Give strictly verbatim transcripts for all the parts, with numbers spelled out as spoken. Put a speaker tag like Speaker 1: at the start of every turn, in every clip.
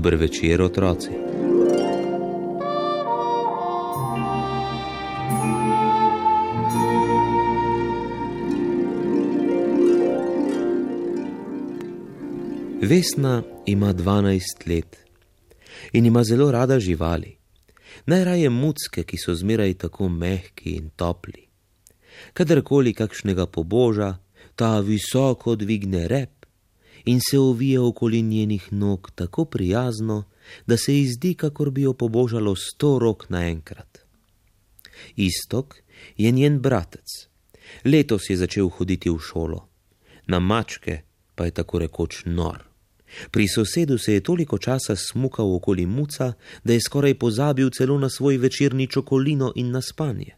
Speaker 1: Dober večer, otroci. Vesna ima dvanajst let in ima zelo rada živali. Najraje mucke, ki so zmeraj tako mehki in topli. Kadarkoli kakšnega poboža, ta visoko dvigne rep in se ovije okoli njenih nog tako prijazno, da se ji zdi, kakor bi jo pobožalo sto rok naenkrat. Iztok je njen bratec. Letos je začel hoditi v šolo. Na mačke pa je tako rekoč nor. Pri sosedu se je toliko časa smukal okoli muca, da je skoraj pozabil celo na svoj večerni čokolino in na spanje.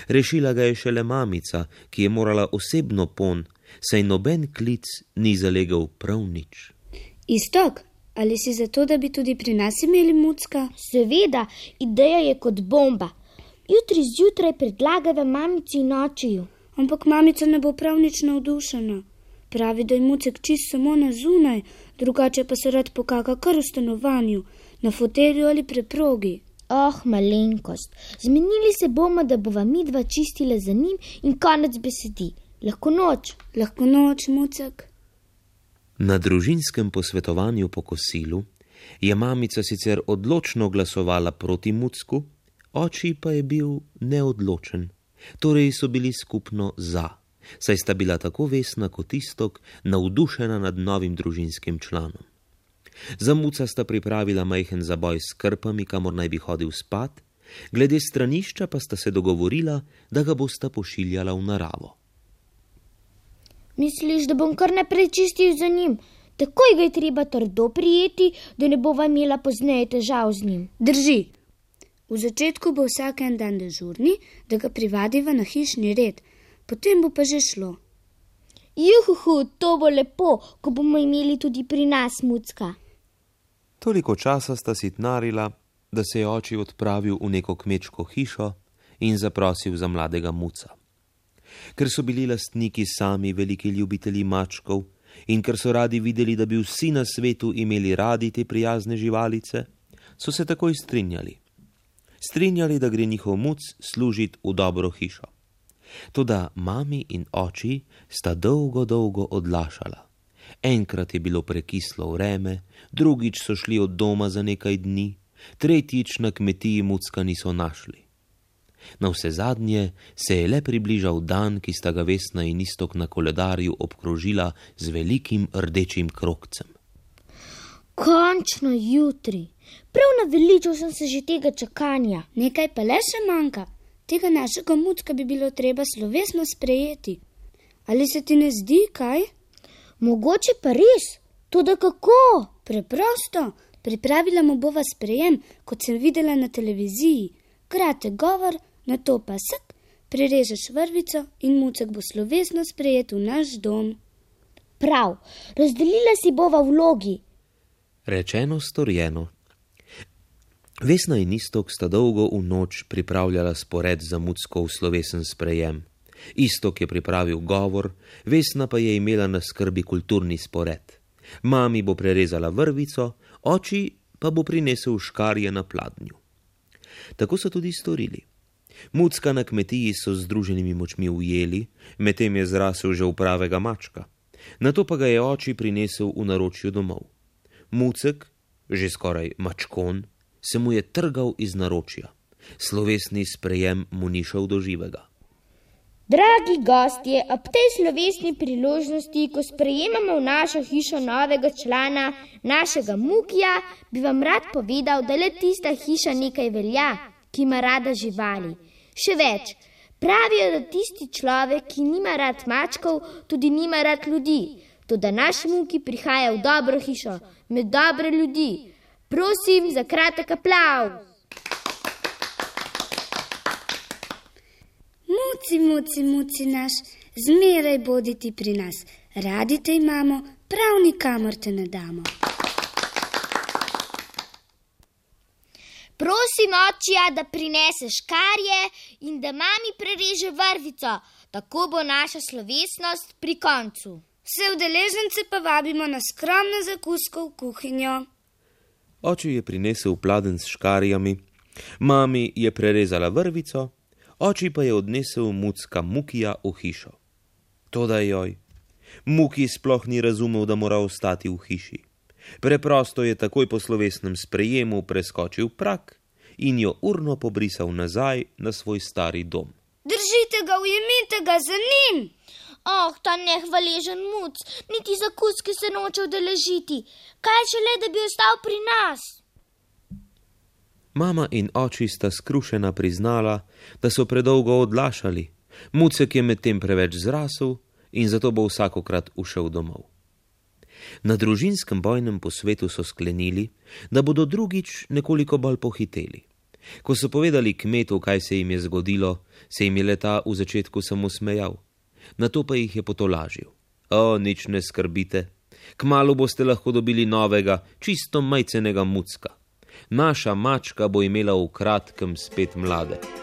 Speaker 1: Rešila ga je šele mamica, ki je morala osebno pon, saj noben klic ni zalegel prav nič.
Speaker 2: Iztok, ali si zato, da bi tudi pri nas imeli mucka?
Speaker 3: Seveda, ideja je kot bomba. Jutri zjutraj predlagava mamici in očiju.
Speaker 2: Ampak mamica ne bo prav nič navdušena. Pravi, da je mucek čist samo na zunaj, drugače pa se rad pokaka kar v stanovanju, na fotelju ali preprogi.
Speaker 3: Oh, malenkost, zmenili se bomo, da bova midva čistila za njim in konec besedi. Lahko noč.
Speaker 2: Lahko noč, mucek.
Speaker 1: Na družinskem posvetovanju po kosilu je mamica sicer odločno glasovala proti mucku, oči pa je bil neodločen, torej so bili skupno za. Saj sta bila tako Vesna kot Iztok navdušena nad novim družinskim članom. Za muca sta pripravila majhen zaboj s krpami, kamor naj bi hodil spat, glede stranišča pa sta se dogovorila, da ga bosta pošiljala v naravo.
Speaker 3: Misliš, da bom kar naprej čistil za njim? Takoj ga je treba trdo prijeti, da ne bova imela pozneje težav z njim.
Speaker 2: Drži. V začetku bo vsak en dan dežurni, da ga privadiva na hišni red. Potem bo pa že šlo.
Speaker 3: Juhuhu, to bo lepo, ko bomo imeli tudi pri nas mucka.
Speaker 1: Toliko časa sta sitnarila, da se je oči odpravil v neko kmečko hišo in zaprosil za mladega muca. Ker so bili lastniki sami veliki ljubitelji mačkov in ker so radi videli, da bi vsi na svetu imeli radi te prijazne živalice, so se takoj strinjali. Strinjali, da gre njihov muc služit v dobro hišo. Toda mami in oči sta dolgo, dolgo odlašala. Enkrat je bilo prekislo vreme, drugič so šli od doma za nekaj dni, tretjič na kmetiji mucka niso našli. Navsezadnje se je le približal dan, ki sta ga Vesna in Iztok na koledarju obkrožila z velikim rdečim krogcem.
Speaker 3: Končno jutri. Prav naveličal sem se že tega čakanja.
Speaker 2: Nekaj pa le še manjka. Tega našega mucka bi bilo treba slovesno sprejeti. Ali se ti ne zdi, kaj?
Speaker 3: Mogoče pa res. Toda kako?
Speaker 2: Preprosto. Pripravila mu bova sprejem, kot sem videla na televiziji. Kratek govor, nato pa sak, prerežeš vrvico in mucek bo slovesno sprejet v naš dom.
Speaker 3: Prav, razdelila si bova vlogi.
Speaker 1: Rečeno, storjeno. Vesna in Iztok sta dolgo v noč pripravljala spored za muckov slovesen sprejem. Iztok je pripravil govor, Vesna pa je imela na skrbi kulturni spored. Mami bo prerezala vrvico, oči pa bo prinesel škarje na pladnju. Tako so tudi storili. Mucka na kmetiji so z združenimi močmi ujeli, medtem je zrasel že v pravega mačka. Nato pa ga je oči prinesel v naročju domov. Mucek, že skoraj mačkon, se mu je trgal iz naročja. Slovesni sprejem mu ni šel do živega.
Speaker 3: Dragi gostje, ob tej slovesni priložnosti, ko sprejemamo v našo hišo novega člana, našega Mukija, bi vam rad povedal, da le tista hiša nekaj velja, ki ima rada živali. Še več, pravijo, da tisti človek, ki nima rad mačkov, tudi nima rad ljudi. Toda naš Muki prihaja v dobro hišo, med dobre ljudi. Prosim za kratek aplavz.
Speaker 2: Muci, muci, muci naš, zmeraj boditi pri nas. Radi te imamo, prav nikamor te ne damo.
Speaker 3: Prosim očija, da prinese škarje in da mami prereže vrvico, tako bo naša slovesnost pri koncu.
Speaker 2: Vse udeležence pa vabimo na skromno zakusko v kuhinjo.
Speaker 1: Oče je prinesel pladenj s škarjami, mami je prerezala vrvico, oči pa je odnesel mucka Mukija v hišo. Toda joj, Muki sploh ni razumel, da mora ostati v hiši. Preprosto je takoj po slovesnem sprejemu preskočil prak in jo urno pobrisal nazaj na svoj stari dom.
Speaker 2: Držite ga, ujemite ga za njim!
Speaker 3: Oh, ta nehvaležen muc, niti za kuski se noče udeležiti. Kaj šele, da bi ostal pri nas?
Speaker 1: Mama in oči sta skrušena priznala, da so predolgo odlašali. Mucek je medtem preveč zrasel in zato bo vsakokrat ušel domov. Na družinskem bojnem posvetu so sklenili, da bodo drugič nekoliko bolj pohiteli. Ko so povedali kmetu, kaj se jim je zgodilo, se jim je leta v začetku samo smejal. Nato pa jih je potolažil. O, nič ne skrbite, kmalu boste lahko dobili novega, čisto majcenega mucka. Naša mačka bo imela v kratkem spet mlade.